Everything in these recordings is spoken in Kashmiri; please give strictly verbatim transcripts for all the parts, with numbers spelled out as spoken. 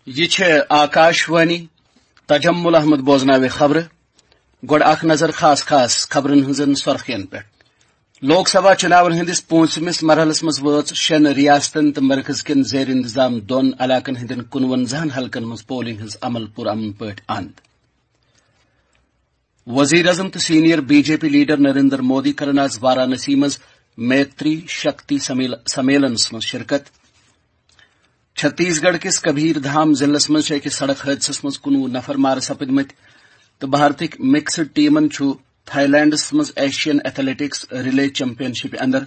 یہِ چھےٚ آکاش وانی۔ تجمل احمد بوزناوِ خبرٕ۔ گۄڈٕ اکھ نظر خاص خاص خبرن ہٕنٛزن سۄرخین پٮ۪ٹھ۔ لوک سبھا چُناون ہٕنٛدِس پوٗنٛژمِس مرحلس منٛز وٲژ شٮ۪ن ریاستن تہٕ مرکز کٮ۪ن زیر انتظام دۄن علاقن ہٕنٛدٮ۪ن کُنوَنزاہن حلقن منٛز پولنگ ہٕنٛز عمل پُرامن پٲٹھۍ اند۔ وزیر اعظم تہٕ senior B J P leader Narendra Modi کرن آز وارانسی منٛز میتری شکتی سمیل-، سمیلنس منٛز شرکت۔ چھتیس گڑھ کِس کبیر دھام ضلعس منٛز چھِ أکِس سڑک حٲدثس منٛز کُنوُہ نفر مارٕ سپٕدمٕتۍ تہٕ بھارتٕکۍ مکسڈ ٹیمن چھُ تھائی لینڈس منٛز ایشین ایتھلیٹکس ریلے چیمپین شپہِ اندر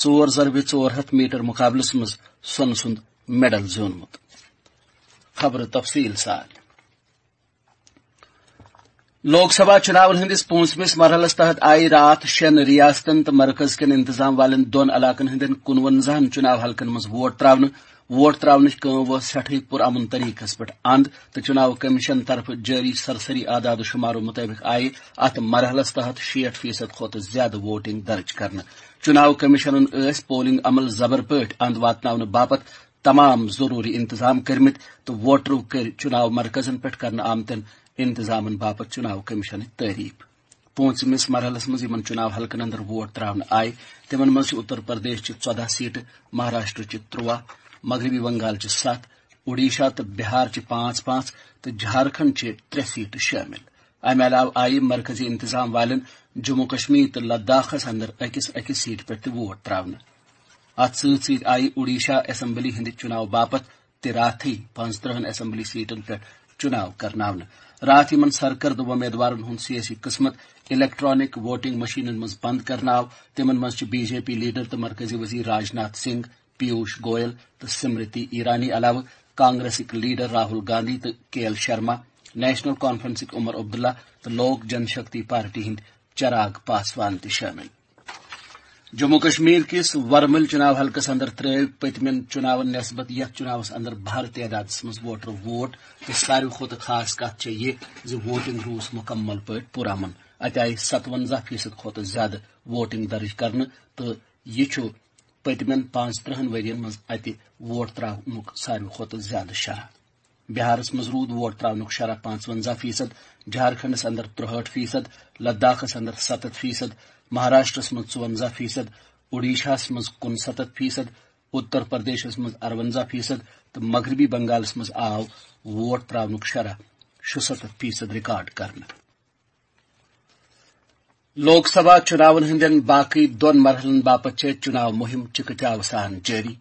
ژور ضربہِ ژور ہتھ میٹر مقابلس منٛز سۄنہٕ سُنٛد میڈل زیوٗنمُت۔ خبرٕ تفصیل سان۔ لوک سبھا چُناون ہٕنٛدِس پوٗنٛژمِس مرحلس تحت آیہِ راتھ شٮ۪ن ریاستن تہٕ مرکز کٮ۪ن انتظام والٮ۪ن دۄن علاقن ہٕنٛدٮ۪ن کُنوَنزاہن چُناو حلقن منٛز ووٹ تراونہٕ۔ ووٹ تراونٕچ کٲم وٲژ سٮ۪ٹھٕے پُرامن طریقس پٮ۪ٹھ اند تہٕ چُناو کمیشن طرفہٕ جٲری سرسری اعداد و شمارو مُطٲبِق آیہِ اتھ مرحلس تحت شیٹھ فیصد کھۄتہٕ زیادٕ ووٹنگ درج کرنہٕ۔ چُناو کمیشنن ٲسۍ پولنگ عمل زبر پٲٹھۍ اند واتناونہٕ باپتھ تمام ضروری انتظام کٔرمٕتۍ تہٕ ووٹرو کٔرۍ چُناو مرکزن پٮ۪ٹھ کرنہٕ آمتٮ۪ن انتظامن باپتھ چُناو کمیشنٕچ تعریف۔ پوٗنٛژمِس مرحلس منٛز یِمن چُناو حلقن اندر ووٹ تراونہٕ آیہِ، تِمن منٛز چھِ اتر پردیش چہِ ژۄدہ سیٹہٕ، مہاراشٹر چہِ ترٛواہ، مغربی بنگال چہِ ستھ، اوڈیشہ تہٕ بہار چہِ پانٛژھ پانٛژھ تہٕ جھارکھنڈ چہِ ترٛےٚ سیٹہٕ شٲمِل۔ امہِ علاوٕ آیہِ مرکزی انتظام والٮ۪ن جموں کشمیر تہٕ لداخس اندر أکِس أکِس سیٹہِ پٮ۪ٹھ تہِ ووٹ تراونہٕ۔ اتھ سۭتۍ سۭتۍ آیہِ اوڈیشہ اسمبلی ہٕنٛدِ چُناو باپتھ تہِ راتھٕے پانٛژترٕہن اسمبلی سیٹن پٮ۪ٹھ چُناو کرناونہٕ۔ راتھ یِمن سرکردٕ وۄمیدوارن ہُنٛد سیٲسی قٕسمت الیکٹرانک ووٹنگ مشینن منٛز بند کرنہٕ آو، تِمن منٛز چھِ بی جے پی لیڈر تہٕ مرکزی وزیر راجناتھ سنگھ، پیوش گوئل تہٕ سمرتی ایرانی علاوٕ کانگریسٕکۍ لیڈر راہل گاندھی تہٕ کے ایل شرما، نیشنل کانفرنسٕکۍ عمر عبداللہ تہٕ لوک جن شکتی پارٹی ہٕنٛدۍ چراغ پاسوان تہِ شٲمِل۔ جموں کشمیر کِس ورمٕلۍ چُناو حلقس اندر ترٲوۍ پٔتمٮ۪ن چُناون نسبت یتھ چُناوس اندر بھر تعدادس منٛز ووٹرو ووٹ، تہٕ ساروی کھۄتہٕ خاص کتھ چھےٚ یہِ زِ ووٹنگ روٗز مکمل پٲٹھۍ پُرامن۔ اتہِ آیہِ ستونزہ فیصد کھۄتہٕ زیادٕ ووٹنگ درج کرنہٕ تہٕ یہِ چھُ پٔتمٮ۪ن پانٛژترٕہن ؤرین منٛز اتہِ ووٹ تراونُک ساروی کھۄتہٕ زیادٕ شرح۔ بہارس منٛز روٗد ووٹ تراونُک شرح پانٛژونزہ فیصد، جھارکھنڈس اندر ترُہٲٹھ فیصد، لداخس اندر ستتھ فیصد، مہاراشٹرس منٛز ژُونزہ فیصد، اوڈیشاہس منٛز کُنستتھ فیصد، اتر پردیشس منٛز ارونزہ فیصد تہٕ مغربی بنگالس منٛز آو ووٹ تراونُک شرح شُستتھ فیصد ریکارڈ کرنہٕ۔ لوک سبھا چُناون ہٕنٛدٮ۪ن باقٕے دۄن مرحلن باپتھ چھےٚ چُناو مُہِم چِکہٕ چاوٕ سان جٲری۔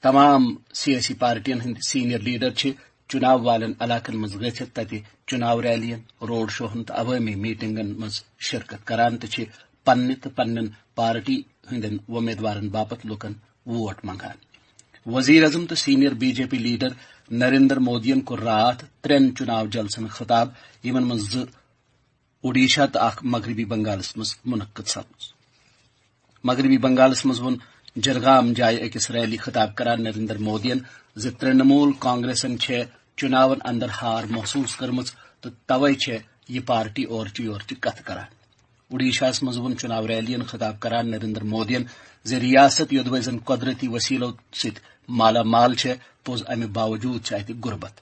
تمام سیٲسی پارٹین ہٕنٛدۍ سینئر لیڈر چھِ چُناو والٮ۪ن علاقن منٛز گٔژھِتھ تتہِ چُناو ریلین، روڈ شوہن تہٕ عوٲمی میٹنگن منٛز شرکت کران تہٕ چھِ پننہِ تہٕ پننٮ۪ن پارٹی ہٕنٛدٮ۪ن وۄمیدوارن باپتھ لوٗکن ووٹ منگان۔ وزیر اعظم تہٕ senior B J P leader Narendra مودیَن کوٚر راتھ ترٛٮ۪ن چُناو جلسن خطاب، یِمن منٛز زٕ اوڈیشہ تہٕ اکھ مغربی بنگالس منٛز منعقد سپٕژ۔ مغربی بنگالس منٛز ووٚن جرگام جایہِ أکِس ریلی خطاب کران نریندر مودیَن زِ ترٛنمول کانگریسن چھےٚ چُناون اندر ہار محسوس کٔرمٕژ تہٕ توے چھےٚ یہِ پارٹی اورچہِ یورچہِ کتھٕ کران۔ اوڈیشاہس منٛز ووٚن چُناو ریلیَن خطاب کران نریندر مودیَن زِ ریاست یوٚدوے زن قۄدرتی وسیلو سۭتۍ مالا مال چھےٚ، پوٚز امہِ باوجود چھِ اتہِ غربت۔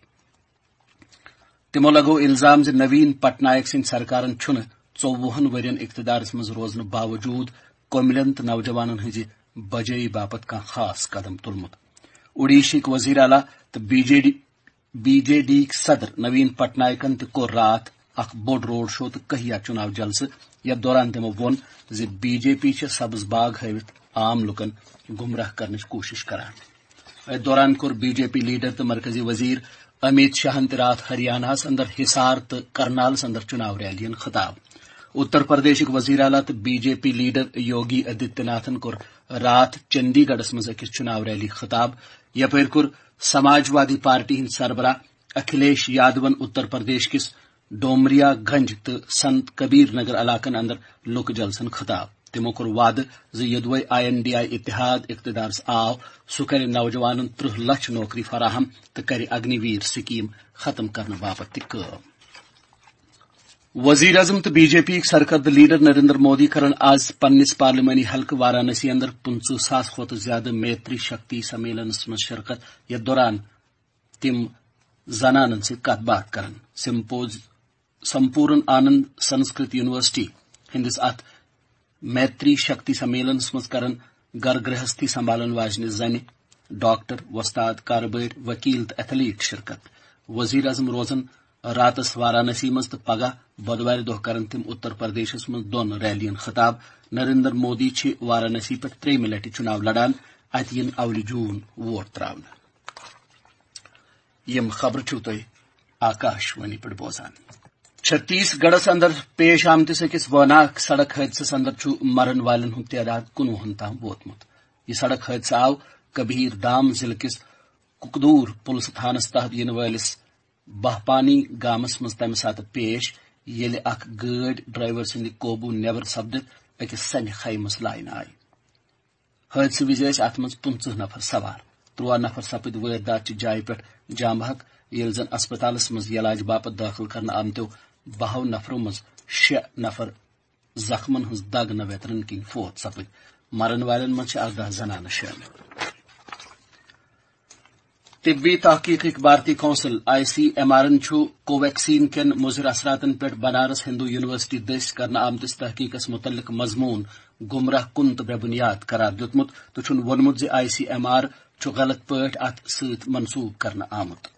تِمو لگوو الزام زِ نوین پٹنائک سٕنٛدۍ سرکارن چھُنہٕ ژوٚوُہن ؤرین اقتدارس منٛز روزنہٕ باوجود کوملین تہٕ نوجوانن ہٕنٛزِ بجٲیی باپتھ کانٛہہ خاص قدم تُلمُت۔ اوڈیشہٕکۍ وزیر اعلیٰ تہٕ B J D, B J D یِکۍ صدر نوین پٹنائکن تہِ کوٚر راتھ اکھ بوٚڑ روڈ شو تہٕ کہیا چُناو جلسہٕ، یتھ دوران تِمو ووٚن زِ بی جے پی چھےٚ سبز باغ ہٲوِتھ عام لوٗکن گمراہ کرنٕچ کوٗشش کران۔ اتھ دوران کوٚر بی جے پی لیڈر تہٕ مرکزی وزیر امیت شاہن تہِ راتھ ہریاناہس اندر حصار تہٕ کرنالس اندر چُناو ریلین خطاب۔ اتر پردیشٕکۍ وزیر اعلیٰ تہٕ بی جے پی لیڈر یوگی آدتیہ ناتھن کوٚر راتھ چندی گڑھس منٛز أکِس چُناو ریلی خطاب۔ یپٲرۍ کوٚر سماجوادی پارٹی ہٕنٛدۍ سربراہ اکھلیش یادون اتر پردیش کِس ڈومریا گنج تہٕ سنت کبیر نگر علاقن اندر لوک جلسن خطاب۔ تِمو کوٚر وعدٕ زِ یوٚدوے آئی این ڈی آئی اتحاد اقتدارس آو، سُہ کرِ نوجوانن ترٕہ لچھ نوکری فراہم تہٕ کرِ اگنی ویر سکیم ختم کرنہٕ باپتھ تہِ کٲم۔ وزیر اعظم تہٕ بی جے پی یِکۍ سرکردٕ لیڈر نریندر مودی کرن آز پننِس پارلیمانی حلقہٕ وارانسی اندر پٕنٛژٕہ ساس کھۄتہٕ زیادٕ میتری شکتی سمیلنس منٛز شرکت، یتھ دوران تِم زنانن سۭتۍ کتھ باتھ کران۔ سمپوز سمپورن آنند سنسکرت یونیورسٹی ہندس اتھ میتری شکتی سمیلنس منٛز کرن گھر گرہستی سنبھالن واجنہِ زنہِ، ڈاکٹر، وۄستاد، کارٕبٲرۍ، وکیل تہٕ ایتھلیٹ شرکت۔ وزیر اعظم روزن راتس وارانسی منٛز تہٕ پگاہ، بۄدوارِ دۄہ، کرن تِم اتر پردیشس منٛز دۄن ریلین خطاب۔ نریندر مودی چھِ وارانسی پٮ۪ٹھ ترٛیٚیِمہِ لٹہِ چُناو لڑان۔ اتہِ یِن اولہِ جون ووٹ تراونہٕ۔ یِم خبرٕ چھِو تُہۍ آکاش وانی پٮ۪ٹھ بوزان۔ چھتیس گڑھس اندر پیش آمتِس أکِس وٲناک سڑک حٲدثس اندر چھُ مرن والٮ۪ن ہُنٛد تعداد کُنوُہن تام ووتمُت۔ یہِ سڑک حٲدثہٕ آو کبیر دھام ضلعہٕ کِس ککدور پُلسہٕ تھانس تحت یِنہٕ وٲلِس بہپانی گامس منٛز تمہِ ساتہٕ پیش، ییٚلہِ اکھ گٲڑۍ ڈرائیور سٕنٛدِ قوبوٗ نٮ۪بر سپدِتھ أکِس سنہِ خیمس لاینہٕ آیہِ۔ حٲدثہٕ وِزِ ٲسۍ اتھ منٛز پٕنٛژٕہ نفر سوار۔ ترٛواہ نفر سپٕدۍ وٲرۍ داتچہِ جایہِ پٮ۪ٹھ جام بحق، ییٚلہِ زن اسپتالس منٛز یلاج باپتھ دٲخل کرنہٕ آمتیو بہو نفرو منٛز شےٚ نفر زخمن ہٕنٛز دگ نہ ویترن کِنۍ فوت سپٕدۍ۔ مرن والٮ۪ن منٛز چھِ ارداہ زنانہٕ شٲمِل۔ طبی تحقیقٕکۍ بھارتی کونسل، آئی سی ایم آرن، چھُ کوویکسین کٮ۪ن مُضر اثراتن پٮ۪ٹھ بنارس ہندو یونیورسٹی دٔسۍ کرنہٕ آمتِس تحقیقس متعلق مضمون گمراہ کُن تہٕ بے بنیاد قرار دیُتمُت تہٕ چھُن ووٚنمُت زِ آئی سی ایم آر چھُ غلط پٲٹھۍ اتھ سۭتۍ منسوب کرنہٕ آمُت۔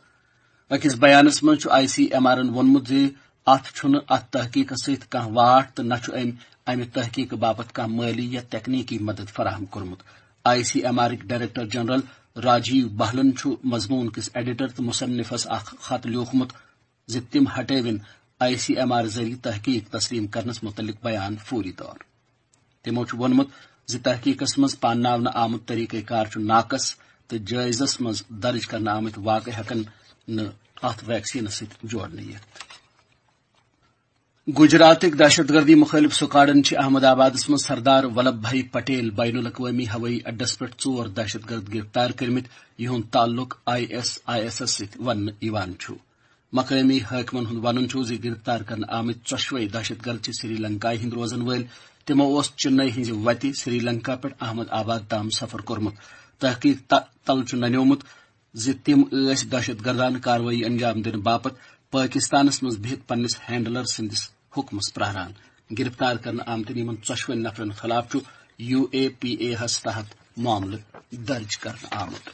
أکِس بیانس منٛز چھُ آئی سی ایم آرن ووٚنمُت زِ اتھ چھُنہٕ اتھ تحقیقس سۭتۍ کانٛہہ واٹھ تہٕ نہ چھُ أمۍ امہِ تحقیقہٕ باپتھ کانٛہہ مٲلی یا تکنیکی مدد فراہم کوٚرمُت۔ آئی سی ایم آرٕکۍ ڈائریکٹر جنرل راجیو بہلن چھُ مضمون کِس ایڈیٹر تہٕ مصنفس اکھ خط لیوٗکھمُت زِ تِم ہٹٲوِن آئی سی ایم آر ذٔریعہٕ تحقیق تسلیم کرنس متعلق بیان فوری طور۔ تِمو چھُ ووٚنمُت زِ تحقیقس منٛز پانناونہٕ آمُت طریقہ کار چھُ ناقص تہٕ جٲیزس منٛز درج کرنہٕ آمٕتۍ واقعہٕ ہٮ۪کن نہٕ اتھ ویکسینس سۭتۍ جوڑنہٕ یِتھ۔ گجراتٕکۍ دہشت گردی مخٲلف سکواڈن چھِ احمد آبادس منٛز سردار ولبھ بھائی پٹیل بین الاقوٲمی ہوٲیی اڈس پٮ۪ٹھ ژور دہشت گرد گرفتار کٔرمٕتۍ، یِہُنٛد تعلق آئی ایس آئی ایسس سۭتۍ وننہٕ یِوان چھُ۔ مقٲمی حٲکمن ہُنٛد ونُن چھُ زِ گرفتار کرنہٕ آمٕتۍ ژۄشوے دہشت گرد چھِ سری لنکایہِ ہٕنٛدۍ روزن وٲلۍ۔ تِمو اوس چنئی ہٕنٛزِ وتہِ سری لنکا پٮ۪ٹھ احمد آباد تام سفر کوٚرمُت۔ تحقیق ت-، تل چھُ ننیومُت زِ تِم ٲسۍ دہشت گردانہٕ کاروٲیی انجام دِنہٕ باپتھ پٲکستانس منٛز بِہِتھ پننِس ہینڈلر سٕنٛدِس حُکمس پراران۔ گرفتار کرنہٕ آمتٮ۪ن یِمن ژۄشوٕنی نفرن خلاف چھُ یو اے پی اے ہس تحت معاملہٕ درج کرنہٕ آمُت۔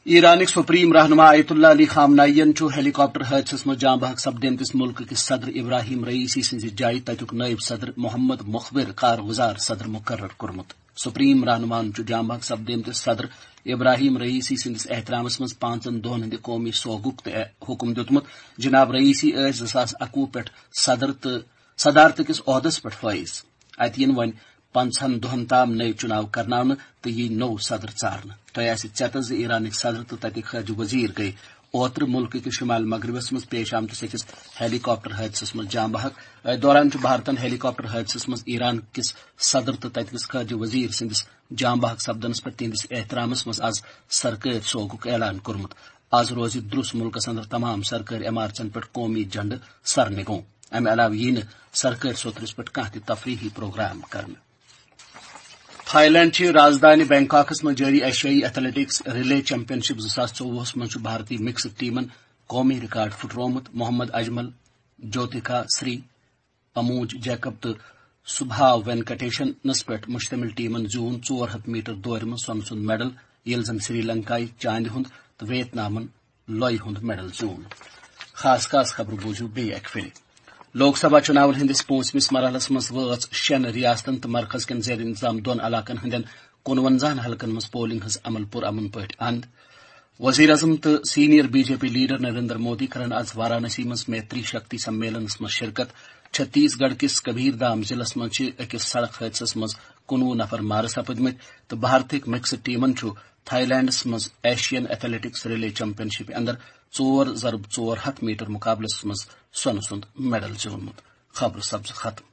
ایرانٕکۍ سپریم رہنما آیت اللہ علی خامنائین چھُ ہیلی کاپٹر حٲدثس منٛز جاں بحق سپدیمتِس مُلکہٕ کِس صدر ابراہیم رئیسی سٕنٛزِ جایہِ تتیُک نٲیِب صدر محمد مخبر کارگزار صدر مقرر کوٚرمُت۔ سپریم رہنماہن چھُ جاں بحق سپدیمتِس صدر ابراہیم رئیسی سٕنٛدِس احترامس منٛز پانٛژن دۄہن ہٕنٛدِ قومی سوگُک تہِ حُکم دیُتمُت۔ جناب رئیسی ٲسۍ زٕ ساس اَکوُہ پٮ۪ٹھ صدر تہٕ صدارتہٕ کِس عہدس پٮ۪ٹھ فٲیض۔ اتہِ یِن وۄنۍ پنٛژاہن دۄہن تام نٔوۍ چُناو کرناونہٕ تہٕ یی نوٚو صدر ژارنہٕ۔ تۄہہِ آسہِ ژیتس زِ ایرانٕکۍ صدر تہٕ تتِکۍ خارجہ وزیر گٔیہِ اوترٕ مُلکہٕ کِس شمال مغربس منٛز پیش آمتِس أکِس ہیلی کاپٹر حٲدثس منٛز جاں بحق۔ أتھۍ دوران چھُ بھارتن ہیلی کاپٹر حٲدثس منٛز ایران کِس صدر تہٕ تتہِ کِس خارجہ وزیر سٕنٛدِس جاں بحق سپدنس پٮ۪ٹھ تِہنٛدِس احترامس منٛز از سرکٲرۍ سوگُک اعلان کوٚرمُت۔ از روزِ درُس مُلکس اندر تمام سرکٲرۍ عمارژن پٮ۪ٹھ قومی جھنڈٕ سرنگوں۔ امہِ علاوٕ ییہِ نہٕ سرکٲرۍ سوٚترِس پٮ۪ٹھ کانٛہہ تہِ تفریحی پروگرام کرنہٕ۔ تھائی لینڈ چہِ رازدانہِ بینکاکس منٛز جٲری ایشیائی ایتھلیٹکس ریلے چیمپین شپ زٕ ساس ژوٚوُہس منٛز چھُ بھارتی مکسڈ ٹیمن قومی ریکارڈ پھُٹروومُت۔ محمد اجمل، جوتیکا سری، اموج جیکب تہٕ سبھا وینکٹیشنس پٮ۪ٹھ مشتمل ٹیمن زیوٗن ژور ہتھ میٹر دورِ منٛز سۄنہٕ سُنٛد میڈل، ییٚلہِ زن سری لنکایہِ چاندِ ہُنٛد تہٕ ویت نامن لۄیہِ ہُنٛد میڈل زیوٗن۔ خاص خاص خبرٕ بوٗزِو بیٚیہِ اکہِ پھِرِ۔ لوک سبھا چُناون ہٕنٛدِس پوٗنٛژمِس مرحلس منٛز وٲژ شٮ۪ن ریاستن تہٕ مرکز کٮ۪ن زیر انتظام دۄن علاقن ہٕنٛدٮ۪ن کُنوَنزاہن حلقن منٛز پولنگ ہٕنٛز عمل پُرامن پٲٹھۍ اند۔ وزیر اعظم تہٕ senior B J P leader Narendra Modi کرن از وارانسی منٛز میتری شکتی سمیلنس منٛز شرکت۔ چھتیس گڑھ کِس کبیر دھام ضلعس منٛز چھِ أکِس سڑک حٲدثس منٛز کُنوُہ نفر مارٕ سپٕدمٕتۍ تہٕ بھارتٕکۍ مکسڈ ٹیمن چھُ تھائی لینڈس منٛز ایشین ایتھلیٹکس ریلے چیمپین شپہِ اندر ژور ضرب ژور ہتھ میٹر مقابلس منٛز سۄنہٕ سُنٛد میڈل زیوٗنمُت۔ خبرٕ سپزٕ ختم۔